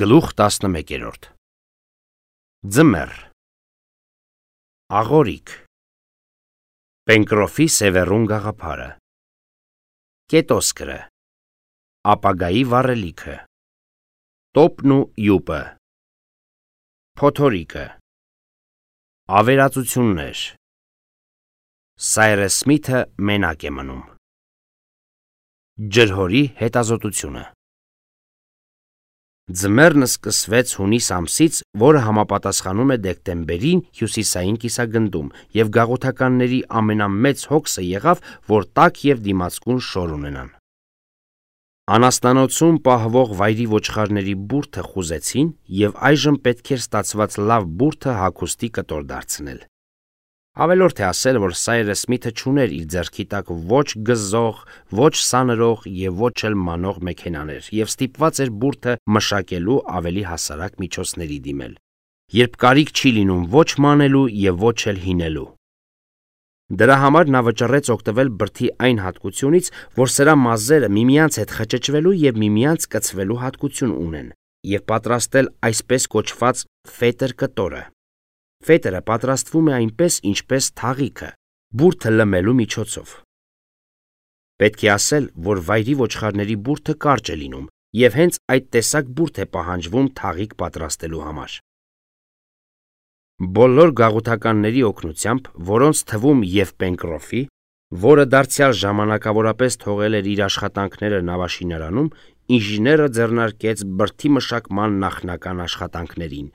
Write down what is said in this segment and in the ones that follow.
Գլուխ 11 Ձմեռ Աղորիկ Պենկրոֆի Սևեռուն գաղափարը Կետոսկրը Ապագայի վառելիքը Տոպն ու յուպը Փոթորիկը Ավերածություններ Սայրես Սմիթը մենակ է մնում Ջրհորի հետազոտությունը Ձմեռն սկսվեց հունիս ամսից, որը համապատասխանում է դեկտեմբերին հյուսիսային կիսագնդում, և գաղութականների ամենամեծ հոգսը եղավ, որ տաք և դիմացկուն շոր ունենան։ Անասնանոցում պահվող վայրի ոչխարների բուրդը խուզեցին, և այժմ պետք էր ստացված լավ բուրդը հագուստի կտոր դարձնել։ Ավելորդ է ասել, որ Սայրես Սմիթը չուներ իր ձեռքի տակ ոչ գզող, ոչ սանրող և ոչ էլ մանող մեքենաներ, և ստիպված էր բուրդը մշակելու ավելի հասարակ միջոցների դիմել, երբ կարիք չի լինում ոչ մանելու և ոչ էլ հինելու։ Դրա համար նա վճռեց օգտվել բրդի այն հատկությունից, որ սրա մազերը միմյանց հետ խճճվելու և միմյանց կցվելու հատկություն ունեն, և պատրաստել այսպես կոչված ֆետր կտորը։ Ֆետերը պատրաստվում է այնպես, ինչպես թաղիքը, բուրդը լմելու միջոցով։ Պետք է ասել, որ վայրի ոչխարների բուրդը կարճ է լինում, և հենց այդ տեսակ բուրդ է պահանջվում թաղիք պատրաստելու համար։ Բոլոր գաղութականների օգնությամբ, որոնց թվում և Պենկրոֆի, որը դարձյալ ժամանակավորապես թողել էր իր աշխատանքները նավաշինարանում, ինժեները ձեռնարկեց բրդի մշակման նախնական աշխատանքներին,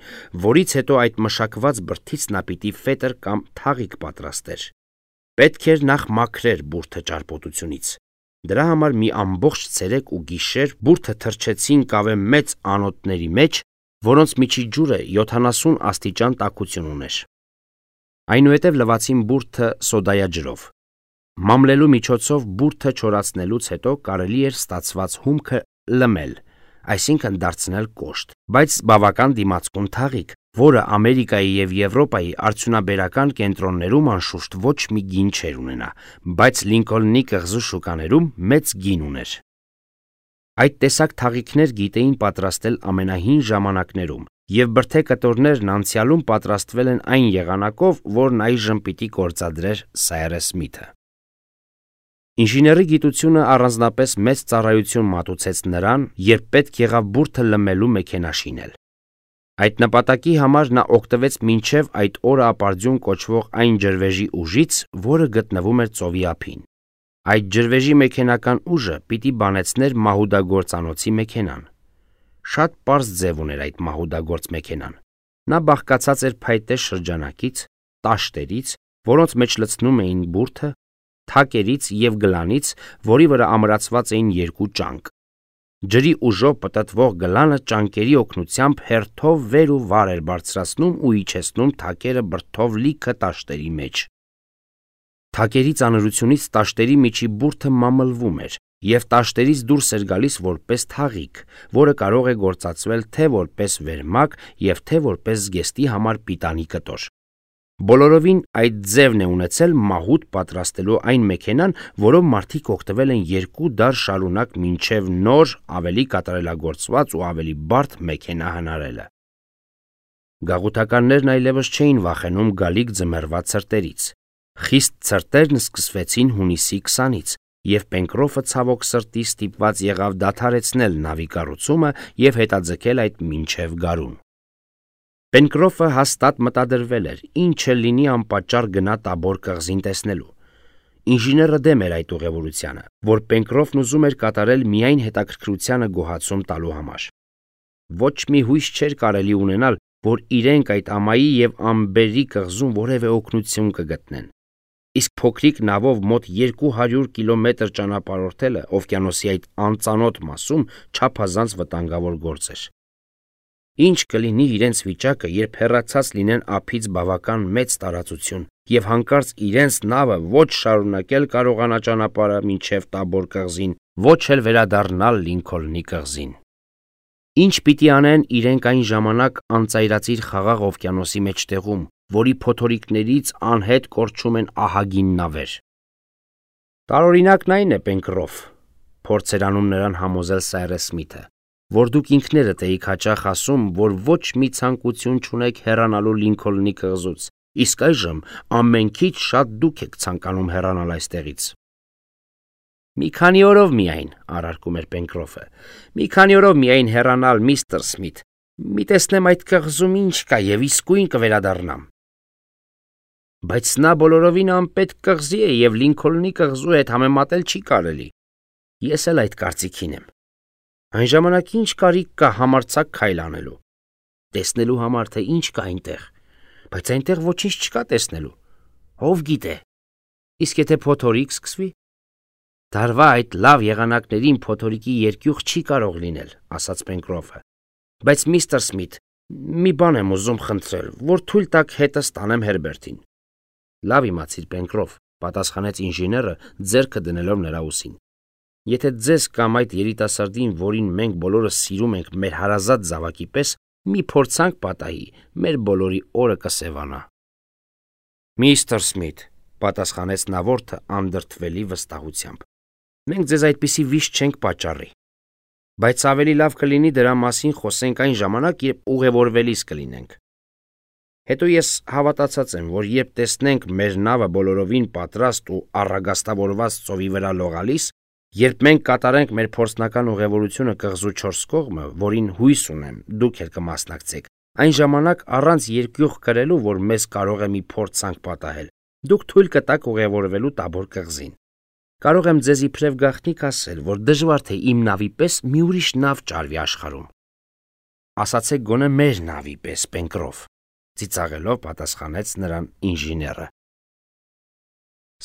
որից հետո այդ մշակված բրդից նա պիտի ֆետր կամ թաղիք պատրաստեր։ Պետք էր նախ մաքրեր բուրդը ճարպոտությունից։ Դրա համար մի ամբողջ ցերեկ ու գիշեր բուրդը թրջեցին կավե մեծ անոթների մեջ, որոնց միջի ջուրը 70 աստիճան տաքություն ուներ։ Այնուհետև լվացին բուրդը սոդայաջրով։ Մամլելու միջոցով բուրդը չորացնելուց հետո կարելի էր ստացված հումքը լմել, այսինքն դարձնել կոշտ, բայց բավական դիմացկուն թաղիք, որը Ամերիկայի և Եվրոպայի արդյունաբերական կենտրոններում անշուշտ ոչ մի գին չէր ունենա, բայց Լինքոլնի կղզու շուկաներում մեծ գին ուներ։ Այդ տեսակ թաղիքներ գիտեին պատրաստել ամենահին ժամանակներում, և բրդե կտորներն անցյալում պատրաստվել են այն եղանակով, որն այժմ պիտի գործադրեր Սայրես Սմիթը։ Ինժեների գիտությունը առանձնապես մեծ ծառայություն մատուցեց նրան, երբ պետք եղավ բուրդը լմելու մեքենա շինել։ Այդ նպատակի համար նա օգտվեց մինչև այդ օրը ապարդյուն կոչվող այն ջրվեժի ուժից, որը գտնվում էր ծովի ափին։ Այդ ջրվեժի մեքենական ուժը պիտի բանեցներ մահուդագործանոցի մեքենան։ Շատ պարզ ձև ուներ այդ մահուդագործ մեքենան։ Նա բաղկացած էր փայտե շրջանակից, տաշտերից, որոնց մեջ լցնում էին բուրդը, թակերից և գլանից, որի վրա ամրացված էին երկու ճանկ։ Ջրի ուժով պտտվող գլանը ճանկերի օգնությամբ հերթով վեր ու վար էր բարձրացնում ու իջեցնում թակերը բրդով լիքը տաշտերի մեջ։ Թակերի ծանրությունից տաշտերի միջի բուրդը մամլվում էր, և տաշտերից դուրս էր գալիս որպես թաղիք, որը կարող է գործածվել թե որպես վերմակ և թե որպես զգեստի համար պիտանի կտոր։ Բոլորովին այդ ձևն է ունեցել մահուդ պատրաստելու այն մեքենան, որով մարդիկ օգտվել են 2 դար շարունակ մինչև նոր, ավելի կատարելագործված ու ավելի բարդ մեքենա հնարելը։ Գաղութականներն այլևս չէին վախենում գալիք ձմեռվա ցրտերից։ Խիստ ցրտերն սկսվեցին հունիսի 20-ից, և Պենկրոֆը ցավոք սրտի ստիպված եղավ դադարեցնել նավի կառուցումը և հետաձգել այդ մինչև գարուն։ Պենկրոֆը հաստատ մտադրվել էր, ինչ էլ լինի անպատճառ գնա Տաբոր կղզին տեսնելու։ Ինժեները դեմ էր այդ ուղևորությանը, որ Պենկրոֆն ուզում էր կատարել միայն հետաքրքրությանը գոհացում տալու համար։ Ոչ մի հույս չէր կարելի ունենալ, որ իրենք այդ ամայի և ամբերի կղզում որևէ օգնություն կգտնեն։ Իսկ փոքրիկ նավով մոտ 200 կիլոմետր ճանապարհորդելը օվկիանոսի այդ անծանոթ մասում չափազանց վտանգավոր գործ էր։ Ինչ կլինի իրենց վիճակը, երբ հեռացած լինեն ափից բավական մեծ տարածություն, և հանկարծ իրենց նավը ոչ շարունակել կարողանա ճանապարհը մինչև Տաբոր կղզին, ոչ էլ վերադառնալ Լինքոլնի կղզին։ Ինչ պիտի անեն իրենք այն ժամանակ անծայրածիր խաղաղ օվկիանոսի մեջտեղում, որի փոթորիկներից անհետ կորչում են ահագին նավեր։ Տարօրինակն այն է, Պենկրոֆ, փորձ էր անում նրան համոզել Սայրես Սմիթը, որ դուք ինքներդ էիք հաճախ ասում, որ ոչ մի ցանկություն չունեք հեռանալու Լինքոլնի կղզուց, իսկ այժմ ամենքից շատ դուք եք ցանկանում հեռանալ այստեղից։ Մի քանի օրով միայն, առարկում էր Պենկրոֆը, մի քանի օրով միայն հեռանալ, միստր Սմիթ, մի տեսնեմ այդ կղզում ինչ կա և իսկույն կվերադառնամ։ Բայց նա բոլորովին անպետք կղզի է և Լինքոլնի կղզու հետ համեմատել չի կարելի։ Ես էլ այդ կարծիքին եմ։ Այն ժամանակ ինչ կարիք կա համարձակ քայլ անելու։ Տեսնելու համար թե ինչ կա այնտեղ, բայց այնտեղ ոչինչ չկա տեսնելու։ Ով գիտե։ Իսկ եթե փոթորիկ սկսվի։ Դարվա այդ լավ եղանակներին փոթորիկի երկյուղ չի կարող լինել, ասաց Պենկրոֆը։ Բայց միստր Սմիթ, մի բան եմ ուզում խնդրել, որ թույլ տաք հետս տանեմ Հերբերտին։ Լավ իմացիր, Պենկրոֆ, պատասխանեց ինժեները, ձեռքը դնելով նրա ուսին։ Եթե ձեզ կամ այդ երիտասարդին, որին մենք բոլորս սիրում ենք մեր հարազատ զավակի պես, մի փորձանք պատահի, մեր բոլորի օրը կսևանա։ Միստր Սմիթ, պատասխանեց նավորդը անդրդվելի վստահությամբ։ Մենք ձեզ այդպիսի վիշտ չենք պատճառի։ Բայց ավելի լավ կլինի դրա մասին խոսենք այն ժամանակ, երբ ուղևորվելիս կլինենք։ Հետո ես հավատացած եմ, որ երբ տեսնենք մեր նավը բոլորովին պատրաստ ու առագաստավորված ծովի վրա լողալիս, երբ մենք կատարենք մեր փորձնական ուղևորությունը կղզու 4 կողմը, որին հույս ունեմ, դուք էլ կմասնակցեք, այն ժամանակ առանց երկյուղ կրելու, որ մեզ կարող է մի փորձանք պատահել, դուք թույլ կտաք ուղևորվելու Տաբոր կղզին։ Կարող եմ ձեզ իբրև գաղտնիք ասել, որ դժվար թե իմ նավի պես մի ուրիշ նավ ճարվի աշխարհում։ Ասացեք գոնե մեր նավի պես, Պենկրոֆ, ծիծաղելով պատասխանեց նրան ինժեները։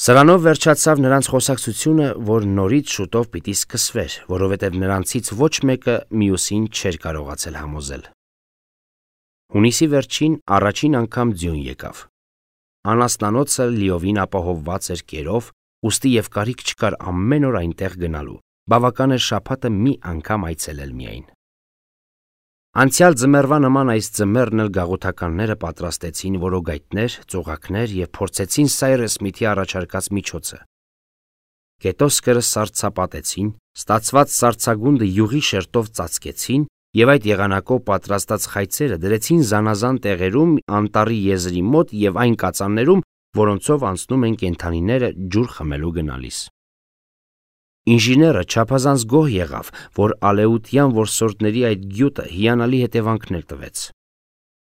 Սրանով վերջացավ նրանց խոսակցությունը, որ նորից շուտով պիտի սկսվեր, որովհետև նրանցից ոչ մեկը մյուսին չէր կարողացել համոզել։ Հունիսի վերջին առաջին անգամ ձյուն եկավ։ Անասնանոցը լիովին ապահովված էր կերով, ուստի և կարիք չկար ամեն օր այնտեղ գնալու, բավական էր շաբաթը մի անգամ այցելել միայն։ Անցյալ ձմեռվա նման այս ձմեռն էլ գաղութականները պատրաստեցին որոգայթներ, ծուղակներ և փորձեցին Սայրես Սմիթի առաջարկած միջոցը։ Կետոսկրը սառցապատեցին, ստացված սառցագունդը յուղի շերտով ծածկեցին և այդ եղանակով պատրաստած խայծերը դրեցին զանազան տեղերում անտառի եզրի մոտ և այն կածաններում, որոնցով անցնում են կենդանիները ջուր խմելու գնալիս։ Ինժեները չափազանց գոհ եղավ, որ ալեուտյան որսորդների այդ գյուտը հիանալի հետևանքներ տվեց։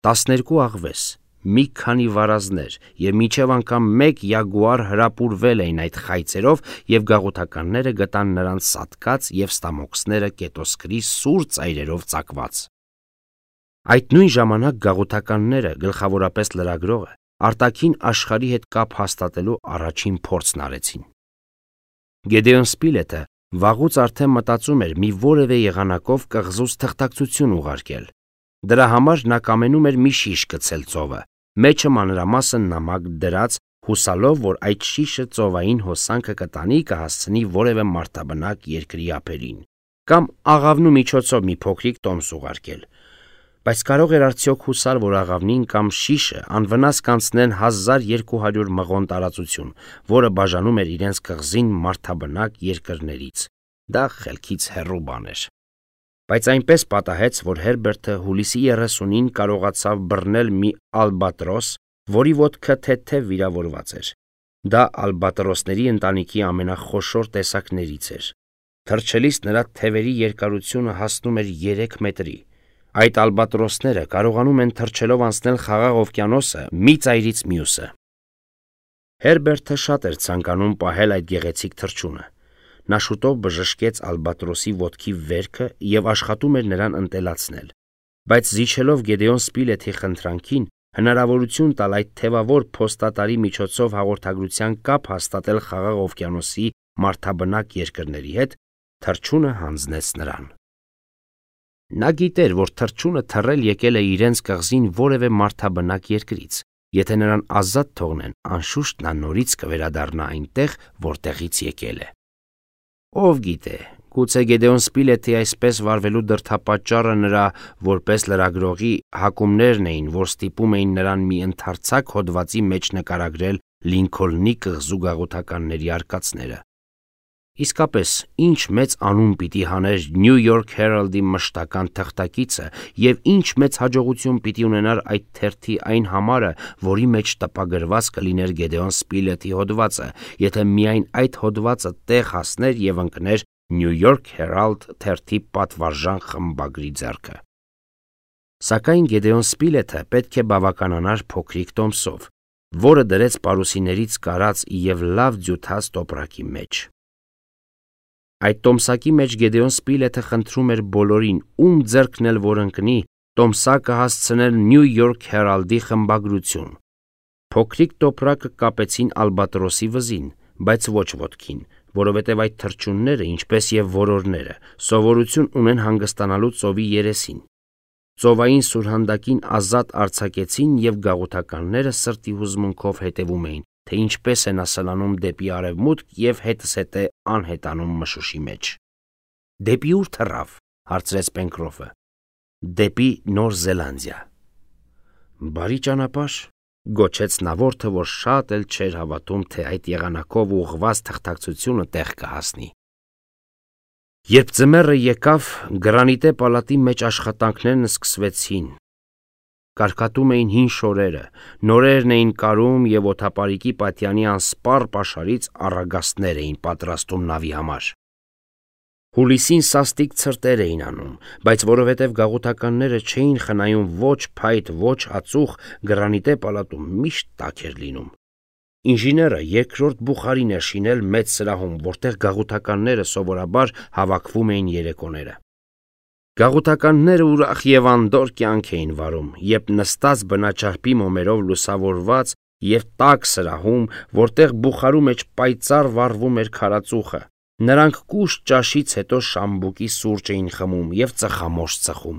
12 աղվես, մի քանի վարազներ և մինչև անգամ 1 յագուար հրապուրվել էին այդ խայծերով և գաղութականները գտան նրանց սատկած և ստամոքսները կետոսկրի սուր ծայրերով ծակված։ Այդ նույն ժամանակ գաղութականները, գլխավորապես լրագրողը, արտաքին աշխարհի հետ կապ հաստատելու առաջին փորձն արեցին։ Գեդեոն Սպիլետը վաղուց արդեն մտածում էր մի որևէ եղանակով կղզուց թղթակցություն ուղարկել։ Դրա համար նա կամենում էր մի շիշ գցել ծովը, մեջը մանրամասն նամակ դրած, հուսալով, որ այդ շիշը ծովային հոսանքը կտանի կհասցնի որևէ մարդաբնակ երկրի ափերին, կամ աղավնու միջոցով մի փոքրիկ տոմս ուղարկել։ Բայց կարող էր արդյոք հուսալ, որ աղավնին կամ շիշը անվնաս կանցնեն 1200 մղոն տարածություն, որը բաժանում էր իրենց կղզին մարդաբնակ երկրներից։ Դա խելքից հեռու բան էր։ Բայց այնպես պատահեց, որ Հերբերտը հուլիսի 30-ին կարողացավ բռնել մի ալբատրոս, որի ոտքը թեթև վիրավորված էր։ Դա ալբատրոսների ընտանիքի ամենախոշոր տեսակներից էր։ Թռչելիս նրա թևերի երկարությունը հասնում էր 3 մետրի։ Այդ ալբատրոսները կարողանում են թռչելով անցնել Խաղաղ օվկիանոսը մի ծայրից մյուսը։ Հերբերտը շատ էր ցանկանում պահել այդ գեղեցիկ թռչունը։ Նա շուտով բժշկեց ալբատրոսի ոտքի վերքը և աշխատում էր նրան ընտելացնել, բայց զիջելով Գեդեոն Սպիլեթի խնդրանքին, հնարավորություն տալ այդ թևավոր փոստատարի միջոցով հաղորդագրության կապ հաստատել Խաղաղ օվկիանոսի մարդաբնակ երկրների հետ, թռչունը հանձնեց նրան։ Նա գիտեր, որ թռչունը թռել եկել է իրենց կղզին որևէ մարդաբնակ երկրից։ Եթե նրան ազատ թողնեն, անշուշտ նա նորից կվերադառնա այնտեղ, որտեղից եկել է։ Ով գիտե, գուցե Գեդեոն Սպիլեթի այսպես վարվելու դրդապատճառը նրա որպես լրագրողի հակումներն էին, որ ստիպում էին նրան մի ընդարձակ հոդվածի մեջ նկարագրել Լինքոլնի կղզու գաղութականների արկածները։ Իսկապես, ինչ մեծ անուն պիտի հաներ New York Herald-ի մշտական թղթակիցը եւ ինչ մեծ հաջողություն պիտի ունենար այդ թերթի այն համարը, որի մեջ տպագրված կլիներ Գեդեոն Սպիլեթի հոդվածը, եթե միայն այդ հոդվածը տեղ հասներ եւ ընկներ New York Herald թերթի պատվարժան խմբագրի ձեռքը։ Սակայն Գեդեոն Սպիլեթը պետք է բավականանար փոքրիկ տոմսով, որը դրեց պարուսիներից կարած եւ լավ ձյութած տոպրակի մեջ։ Այդ տոմսակի մեջ Գեդեոն Սպիլեթը խնդրում էր բոլորին, ում ձեռքն էլ որ ընկնի, տոմսակը հասցնել New York Herald-ի խմբագրություն։ Փոքրիկ տոպրակը կապեցին ալբատրոսի վզին, բայց ոչ ոտքին, որովհետև այդ թռչունները, ինչպես եւ որորները, սովորություն ունեն հանգստանալու ծովի երեսին։ Ծովային սուրհանդակին ազատ արձակեցին եւ գաղութականները սրտի հուզմունքով հետևում էին, թե ինչպես է նա սլանում դեպի արևմուտք եւ հետսհետե անհետանում մշուշի մեջ։ Դեպի ուր թռավ, հարցրեց Պենկրոֆը։ Դեպի Նոր Զելանդիա։ Բարի ճանապարհ, գոչեց նա, որը որ շատ էլ չէր հավատում, թե այդ եղանակով ուղղված թղթակցությունը տեղ կհասնի։ Երբ ձմեռը եկավ, գրանիտե պալատի մեջ աշխատանքներն սկսվեցին։ Կարկատում էին հին շորերը, նորերն էին կարում եւ օթապարիկի պատյանի անսպառ պաշարից առագաստներ էին պատրաստում նավի համար։ Հուլիսին սաստիկ ցրտեր էին անում, բայց որովհետև գաղութականները չէին խնայում ոչ փայտ, ոչ ածուխ, գրանիտե պալատում միշտ տաք էր լինում։ Ինժեները երկրորդ բուխարին էր շինել մեծ սրահում, որտեղ գաղութականները սովորաբար հավաքվում էին երեկոները։ Գաղութականները ուրախ եւ անդոր կյանք էին վարում, երբ նստած բնաճարպի մոմերով լուսավորված եւ տաք սրահում, որտեղ բուխարու մեջ պայծառ վառվում էր քարածուխը, նրանք կուշտ ճաշից հետո շամբուկի սուրճ էին խմում եւ ծխամորճ ծխում,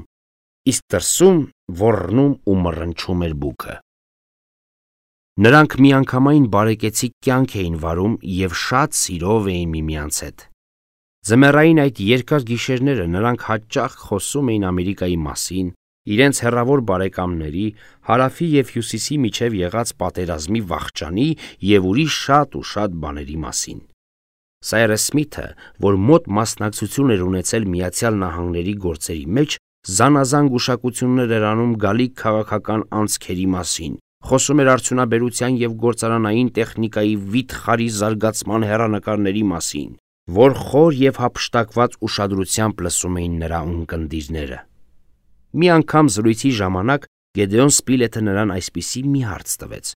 իսկ դրսում ոռնում ու մռնչում էր բուքը։ Նրանք միանգամայն բարեկեցիկ կյանք էին վարում եւ շատ սիրով էին միմյանց հետ։ Ձմեռային այդ երկար գիշերները նրանք հաճախ խոսում էին Ամերիկայի մասին, իրենց հեռավոր բարեկամների, հարավի եւ հյուսիսի միջև եղած պատերազմի վախճանի եւ ուրիշ շատ ու շատ բաների մասին։ Սայրս Սմիթը, որ մոտ մասնակցություն էր ունեցել Միացյալ Նահանգների գործերի մեջ, զանազան գուշակություններ էր անում գալիք քաղաքական անցքերի մասին, խոսում էր արդյունաբերության եւ գործարանային տեխնիկայի վիթխարի զարգացման հեռանկարների մասին, որ խոր եւ հափշտակված ուշադրությամբ լսում էին նրա ունկնդիրները։ Մի անգամ զրույցի ժամանակ Գեդեոն Սպիլեթը նրան այսպիսի մի հարց տվեց.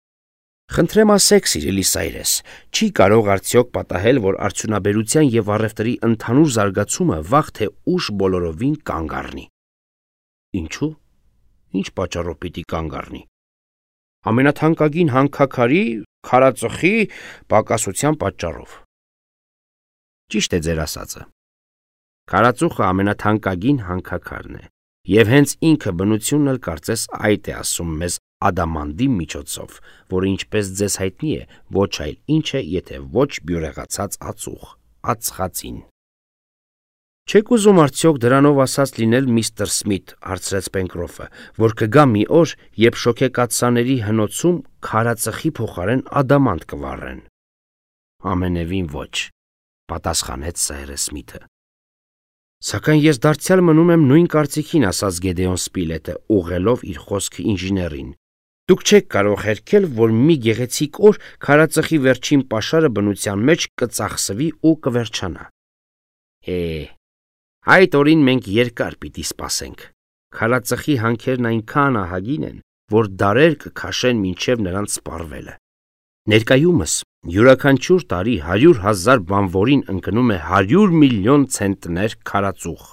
«Խնդրեմ ասեք, սիրելի Սայրես, չի կարող արդյոք պատահել, որ արդյունաբերության եւ առևտրի ընդհանուր զարգացումը վաղ թե ուշ բոլորովին կանգ առնի»։ Ինչու՞։ Ինչ պատճառով պիտի կանգ առնի։ Ամենաթանկագին հանքաքարի, քարածխի պակասության պատճառով։ Ճիշտ է ձեր ասածը։ Քարածուխը ամենաթանկագին հանքաքարն է, եւ հենց ինքը բնությունն էլ կարծես այդ է ասում մեզ ադամանդի միջոցով, որը ինչպես ձեզ հայտնի է, ոչ այլ ինչ է, եթե ոչ բյուրեղացած ածուխ, ածխածին։ Չեք ուզում արդյոք դրանով ասած լինել միստր Սմիթ, հարցրեց Պենկրոֆը, որ կգա մի օր, երբ շոքեկաթսաների հնոցում քարածխի փոխարեն ադամանդ կվառեն։ Ամենևին ոչ, պատասխանեց Սայրս Սմիթը։ Սակայն ես դարձյալ մնում եմ նույն կարծիքին, ասաց Գեդեոն Սպիլեթը, ուղղելով իր խոսքը ինժեներին։ Դուք չեք կարող հերքել, որ մի գեղեցիկ օր քարածխի վերջին պաշարը բնության մեջ կծախսվի ու կվերջանա։ Այդ օրին մենք երկար պիտի սպասենք։ Քարածխի հանքերն այնքան ահագին են, որ դարեր կքաշեն մինչև նրանց սպառվելը։ Ներկայումս յուրաքանչյուր տարի 100,000 բանվորին ընկնում է 100 միլիոն ցենտներ քարածուխ։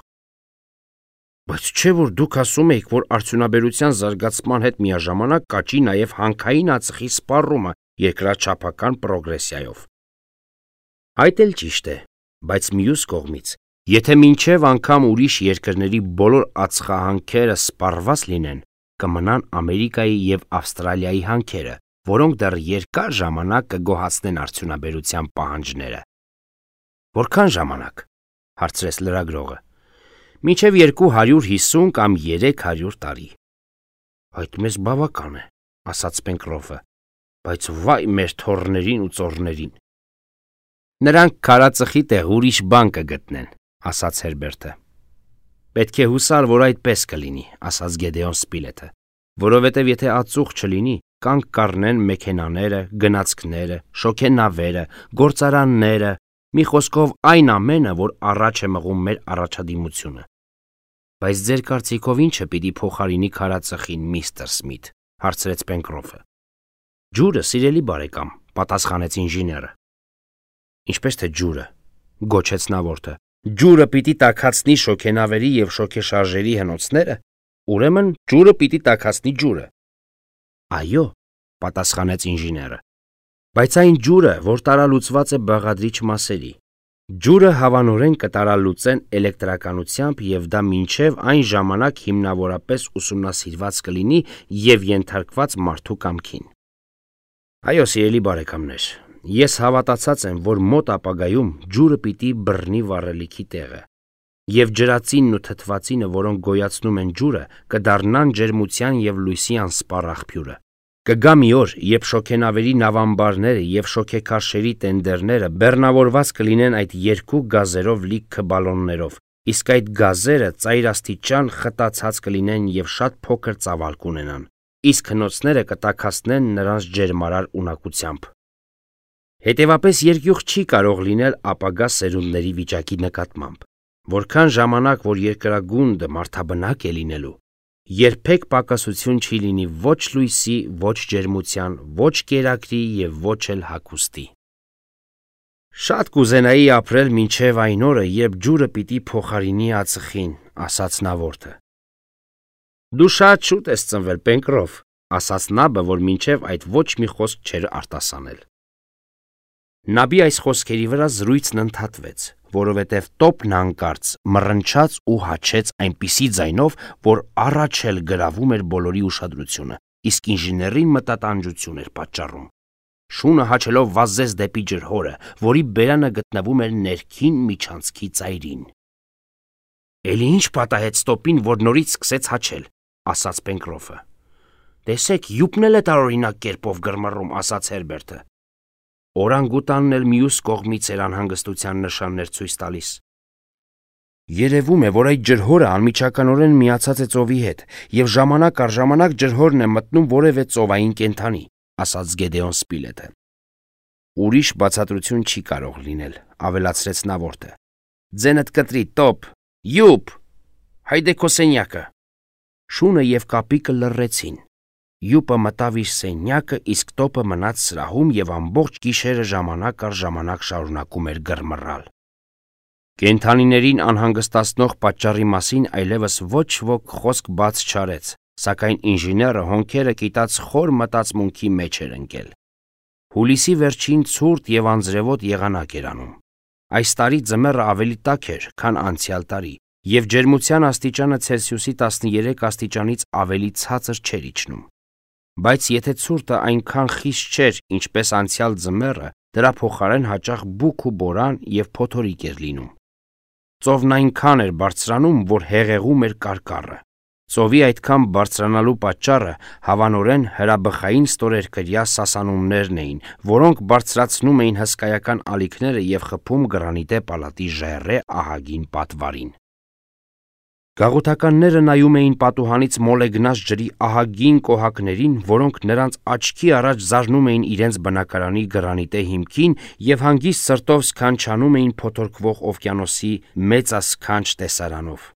Բայց չէ՞ որ դուք ասում եք, որ արդյունաբերության զարգացման հետ միաժամանակ կաճի նաև հանքային ածխի սպառումը երկրաչափական պրոգրեսիայով։ Այդ էլ ճիշտ է, բայց մյուս կողմից, եթե մինչև անգամ ուրիշ երկրների բոլոր ածխահանքերը սպառված լինեն, կմնան Ամերիկայի եւ Ավստրալիայի հանքերը, որոնք դեռ երկար ժամանակ կգոհացնեն արդյունաբերության պահանջները։ Որքան ժամանակ, հարցրեց լրագրողը։ Մինչև 250 կամ 300 տարի։ Այդ մեզ բավական է, ասաց Պենկրոֆը, բայց վայ մեր թոռներին ու ծոռներին։ Նրանք քարածխի տեղ ուրիշ բան կգտնեն, ասաց Հերբերտը։ Պետք է հուսալ, որ այդպես կլինի, ասաց Գեդեոն Սպիլեթը, որովհետև եթե ածուխ չլինի, կանգ կառնեն մեքենաները, գնացքները, շոգենավերը, գործարանները, մի խոսքով այն ամենը, որ առաջ է մղում մեր առաջադիմությունը։ Բայց ձեր կարծիքով ինչը պիտի փոխարինի քարածխին, միստր Սմիթ, հարցրեց Պենկրոֆը։ Ջուրը, սիրելի բարեկամ, պատասխանեց ինժեները։ Ինչպես թե ջուրը, գոչեց նավորդը։ Ջուրը պիտի տաքացնի շոգենավերի եւ շոգեշարժերի հնոցները, ուրեմն ջուրը պիտի տաքացնի ջուրը։ Այո, պատասխանեց ինժեները։ Բայց այն ջուրը, որ տարալուծված է բաղադրիչ մասերի, ջուրը հավանորեն կտարալուծեն էլեկտրականությամբ եւ դա մինչեւ այն ժամանակ հիմնավորապես ուսումնասիրված կլինի եւ ենթարկված մարդու կամքին։ Այո, սիրելի բարեկամներ, ես հավատացած եմ, որ մոտ ապագայում ջուրը պիտի բռնի վառելիքի տեղը, եւ ջրածինն ու թթվածինը, որոնք գոյացնում են ջուրը, կդառնան ջերմության եւ լույսի անսպառ աղբյուրը։ Կգա մի օր, երբ շոգենավերի նավամբարները եւ շոգեքարշերի տենդերները բեռնավորված կլինեն այդ երկու գազերով լիք բալոններով, իսկ այդ գազերը ծայրաստիճան խտացած կլինեն եւ շատ փոքր ծավալ կունենան, իսկ հնոցները կտաքացնեն նրանց ջերմարար ունակությամբ։ Հետևապես երկյուղ չի կարող լինել ապագա սերունդների վիճակի նկատմամբ, որքան ժամանակ, որ երկրագունդը մարդաբնակ է լինելու, երբեք պակասություն չի լինի ոչ լույսի, ոչ ջերմության, ոչ կերակրի եւ ոչ էլ հագուստի։ Շատ կուզենայի ապրել մինչև այն օրը, երբ ջուրը պիտի փոխարինի ածխին, ասաց նավորդը։ Դու շատ շուտ ես ծնվել, Պենկրոֆ, ասաց նաբը, որ մինչև այդ ոչ մի խոսք չէր արտասանել։ Նաբի այս խոսքերի վրա զրույցն ընդհատվեց, որովհետև տոպն հանկարծ մռնչաց ու հաչեց այնպիսի ձայնով, որ առաջ էլ գրավում էր բոլորի ուշադրությունը, իսկ ինժեներին մտատանջություն էր պատճառում։ Շունը հաչելով վազեց դեպի ջրհորը, որի բերանը գտնվում էր ներքին միջանցքի ծայրին։ Էլի ինչ պատահեց տոպին, որ նորից սկսեց հաչել, ասաց Պենկրոֆը։ Տեսեք, յուպն էլ է տարօրինակ կերպով գրմռում, ասաց Հերբերտը։ Օրանգուտանն էլ մյուս կողմից էր անհանգստության նշաններ ցույց տալիս։ Երևում է, որ այդ ջրհորը անմիջականորեն միացած է ծովի հետ, եւ ժամանակ առ ժամանակ ջրհորն է մտնում որևէ ծովային կենդանի, ասաց Գեդեոն Սպիլեթը։ Ուրիշ բացատրություն չի կարող լինել, ավելացրեց նավորդը։ Ձենդ կտրի, տոպ, յուպ, հայդե քո սենյակը։ Շունը եւ կապիկը լռեցին։ Յուպը մտավ իր սենյակը, իսկ տոպը մնաց սրահում եւ ամբողջ գիշերը ժամանակ առ ժամանակ շարունակում էր գրմռալ։ Կենդանիներին անհանգստացնող պատճառի մասին այլևս ոչ ոք խոսք բաց չարեց, սակայն ինժեները հոնքերը կիտած խոր մտածմունքի մեջ էր ընկել։ Հուլիսի վերջին ցուրտ եւ անձրևոտ եղանակ էր անում։ Այս տարի ձմեռը ավելի տաք էր, քան անցյալ տարի, եւ ջերմության աստիճանը Ցելսիուսի 13 աստիճանից ավելի ցածր չէր իջնում։ Բայց եթե ցուրտը այնքան խիստ չէր, ինչպես անցյալ ձմեռը, դրա փոխարեն հաճախ բուք ու բորան եւ փոթորիկ էր լինում։ Ծովն այնքան էր բարձրանում, որ հեղեղում էր կարկառը։ Ծովի այդքան բարձրանալու պատճառը հավանորեն հրաբխային ստորերկրյա սասանումներն էին, որոնք բարձրացնում էին հսկայական ալիքները եւ խփում գրանիտե պալատի ժայռե ահագին պատվարին։ Գաղութականները նայում էին պատուհանից մոլեգնած ջրի ահագին կոհակներին, որոնք նրանց աչքի առաջ զարնում էին իրենց բնակարանի գրանիտե հիմքին եւ հանգիստ սրտով սքանչանում էին փոթորկվող օվկիանոսի մեծասքանչ տեսարանով։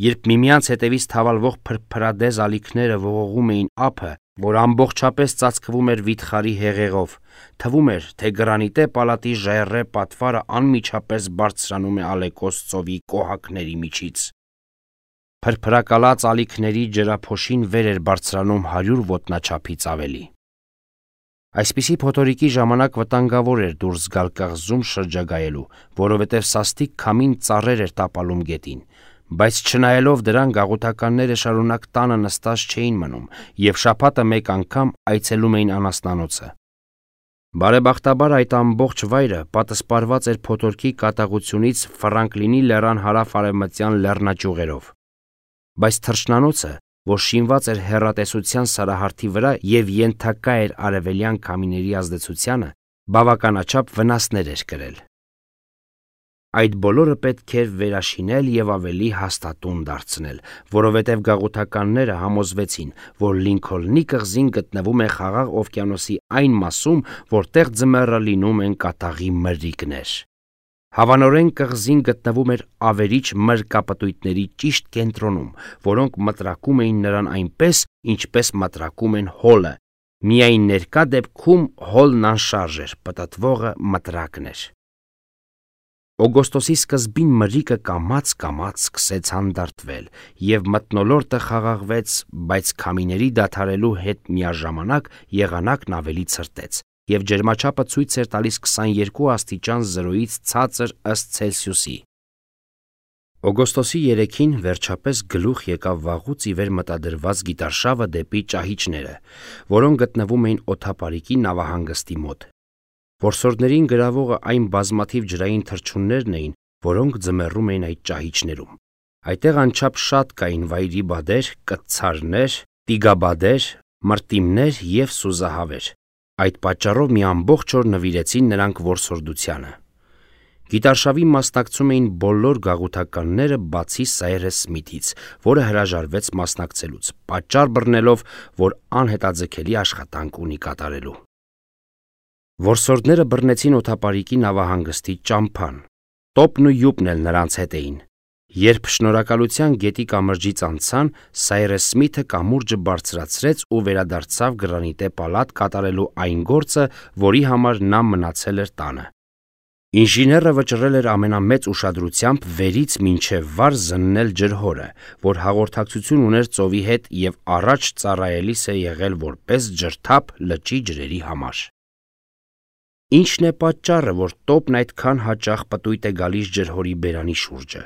Երբ միմյանց հետևից թավալվող փրփրադեզ ալիքները ողողում էին ափը, որ ամբողջապես ծածկվում էր վիթխարի հեղեղով, թվում էր, թե գրանիտե պալատի ժայռե պատվարը անմիջապես բարձրանում է ալեկոս ծովի կոհակների միջից։ Փրփրակալած ալիքների ջրափոշին վեր էր բարձրանում 100 ոտնաչափից ավելի։ Այսպիսի փոթորիկի ժամանակ վտանգավոր էր դուրս գալ կղզում շրջագայելու, որովհետև սաստիկ քամին ծառեր էր տապալում գետին, բայց չնայելով դրան գաղութականները շարունակ տանը նստած չէին մնում եւ շաբաթը մեկ անգամ այցելում էին անասնանոցը։ Բարեբախտաբար այդ ամբողջ վայրը պատսպարված էր փոթորկի կատաղությունից Ֆրանկլինի լեռան հարավ-արևմտյան լեռնաճյուղերով։ Բայց թռչնանոցը, որ շինված էր հեռատեսության սարահարթի վրա եւ ենթակա էր արևելյան քամիների ազդեցությանը, բավականաչափ վնասներ էր կրել։ Այդ բոլորը պետք էր վերաշինել եւ ավելի հաստատուն դարձնել, որովհետեւ գաղութականները համոզվեցին, որ Լինքոլնի կղզին գտնվում է Խաղաղ օվկիանոսի այն մասում, որտեղ ձմեռը լինում են կատաղի մրրիկներ։ Հավանորեն կղզին գտնվում էր ավերիչ մրրկապտույտների ճիշտ կենտրոնում, որոնք մտրակում էին նրան այնպես, ինչպես մտրակում են հոլը, միայն ներկա դեպքում հոլն անշարժ էր, պտտվողը մտրակն էր։ Օգոստոսի սկզբին մրրիկը կամաց-կամաց սկսեց հանդարտվել, եւ մթնոլորտը խաղաղվեց, բայց քամիների դադարելու հետ միաժամանակ եղանակն ավելի ցրտեց, եւ ջերմաչափը ցույց էր տալիս 22 աստիճան 0-ից ցածր ըստ Ցելսիուսի։ Օգոստոսի 3-ին վերջապես գլուխ եկավ վաղուց ի վեր մտադրված գիտարշավը դեպի ճահիճները, որոնք գտնվում էին օդապարիկի նավահանգստի մոտ։ Որսորդներին գրավողը այն բազմաթիվ ջրային թռչուններն էին, որոնք ձմեռում էին այդ ճահիճներում։ Այդտեղ անչափ շատ կային վայրի բադեր, կտցարներ, տիգաբադեր, մրտիմներ եւ սուզահավեր։ Այդ պատճառով մի ամբողջ օր նվիրեցին նրանք որսորդությանը։ Գիտարշավի մասնակցում էին բոլոր գաղութականները բացի Սայրես Սմիթից, որը հրաժարվեց մասնակցելուց, պատճառ բռնելով, որ անհետաձգելի աշխատանք ունի կատարելու։ Որսորդները բռնեցին օդապարիկի նավահանգստի ճամփան։ Տոպն ու յուպն էլ նրանց հետ էին։ Երբ շնորհակալության գետի կամրջից անցան, Սայրես Սմիթը կամուրջը բարձրացրեց ու վերադարձավ գրանիտե պալատ կատարելու այն գործը, որի համար նա մնացել էր տանը։ Ինժեները վճռել էր ամենամեծ ուշադրությամբ վերից մինչև վար զննել ջրհորը, որ հաղորդակցություն ուներ ծովի հետ եւ առաջ ծառայելիս է եղել որպես ջրթափ լճի ջրերի համար։ Ինչն է պատճառը, որ տոպն այդքան հաճախ պտույտ է գալիս ջրհորի բերանի շուրջը։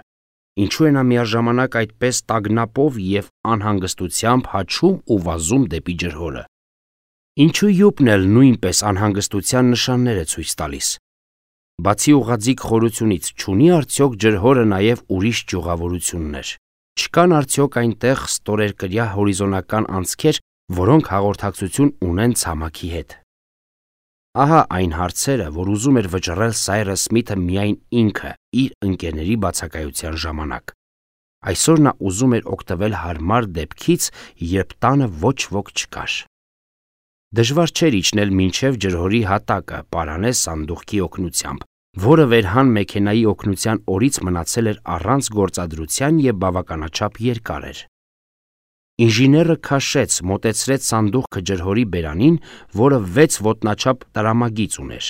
Ինչու է նա միաժամանակ այդպես տագնապով եւ անհանգստությամբ հաչում ու վազում դեպի ջրհորը։ Ինչու յուպն էլ նույնպես անհանգստության նշաններ է ցույց տալիս։ Բացի ուղղաձիգ խորությունից, չունի արդյոք ջրհորը նաև ուրիշ ճյուղավորություններ։ Չկան արդյոք այնտեղ ստորերկրյա հորիզոնական անցքեր, որոնք հաղորդակցություն ունեն ցամաքի հետ։ Ահա այն հարցերը, որ ուզում էր վճռել Սայրես Սմիթը միայն ինքը իր ընկերների բացակայության ժամանակ։ Այսօր նա ուզում էր օգտվել հարմար դեպքից, երբ տանը ոչ ոք չկար։ Դժվար չէր իջնել մինչև ջրհորի հատակը պարանե սանդուղքի օգնությամբ, որը վերհան մեքենայի օգնության օրից մնացել էր առանց գործադրության եւ բավականաչափ երկար էր։ Ինժեները քաշեց, մոտեցրեց սանդուղքը ջրհորի բերանին, որը 6 ոտնաչափ տրամագիծ ուներ։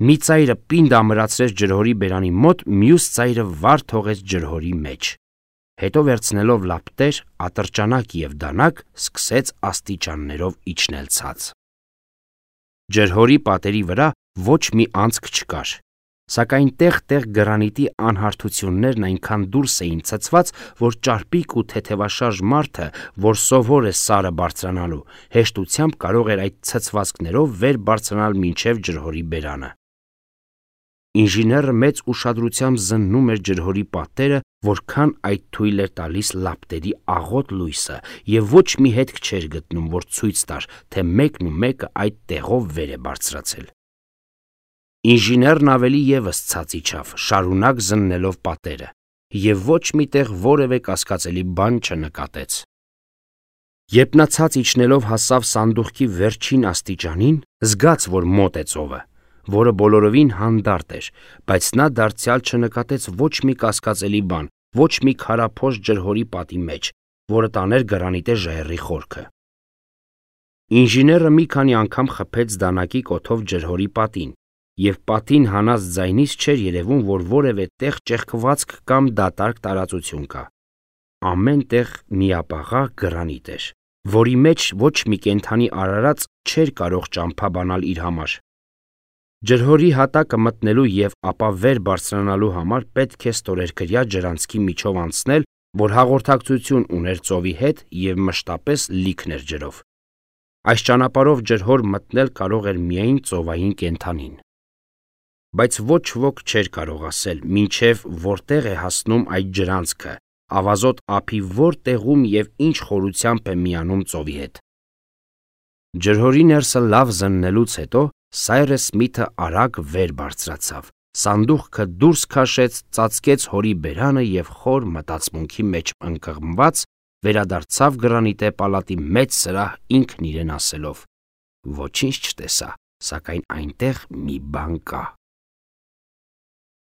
Մի ծայրը պինդ ամրացրեց ջրհորի բերանի մոտ, մյուս ծայրը վար թողեց ջրհորի մեջ։ Հետո վերցնելով լապտեր, ատրճանակ եւ դանակ, սկսեց աստիճաններով իջնել ցած։ Ջրհորի պատերի վրա ոչ մի անցք չկար, սակայն տեղ-տեղ գրանիտի անհարթություններն այնքան դուրս էին ցցված, որ ճարպիկ ու թեթևաշարժ մարդը, որ սովոր է սարը բարձրանալու, հեշտությամբ կարող էր այդ ցցվածքներով վեր բարձրանալ մինչև ջրհորի բերանը։ Ինժեները մեծ ուշադրությամբ զննում էր ջրհորի պատերը, որքան այդ թույլ էր տալիս լապտերի աղոտ լույսը, եւ ոչ մի հետք չէր գտնում, որ ցույց տար, թե մեկն ու մեկը այդ տեղով վեր է բարձրացել։ Ինժեներն ավելի եւս ցած իջավ, շարունակ զննելով պատերը, եւ ոչ միտեղ որևէ կասկածելի բան չնկատեց։ Երբ նա ցած իջնելով հասավ սանդուղքի վերջին աստիճանին, զգաց, որ մոտ է ծովը, որը բոլորովին հանդարտ էր, բայց նա դարձյալ չնկատեց ոչ մի կասկածելի բան, ոչ մի քարափոս ջրհորի պատի մեջ, որը տաներ գրանիտե ժայռի խորքը։ Ինժեները մի քանի անգամ խփեց դանակի կոթով ջրհորի պատին, եւ պատին հանած ձայնից չէր երևում, որ որևէ տեղ ճեղքվածք կամ դատարկ տարածություն կա։ Ամեն տեղ միապաղաղ գրանիտ էր, որի մեջ ոչ մի կենդանի արարած չէր կարող ճամփա բանալ իր համար։ Ջրհորի հատակը մտնելու եւ ապա վեր բարձրանալու համար պետք է ստորերկրյա ջրանցքի միջով անցնել, որ հաղորդակցություն ուներ ծովի հետ եւ մշտապես լիքն էր ջրով։ Այս ճանապարհով ջրհոր մտնել կարող էր միայն ծովային կենդանին։ Բայց ոչ ոք չէր կարող ասել, մինչև որտեղ է հասնում այդ ջրանցքը, ավազոտ ափի որ տեղում եւ ինչ խորությամբ է միանում ծովի հետ։ Ջրհորի ներսը լավ զննելուց հետո Սայրս Սմիթը արագ վեր բարձրացավ, սանդուղքը դուրս քաշեց, ծածկեց հորի բերանը և խոր մտածմունքի մեջ ընկղմված վերադարձավ գրանիտե պալատի մեծ սրահ ինքն իրեն ասելով. «Ոչինչ չտեսա, սակայն այնտեղ մի բան կա»։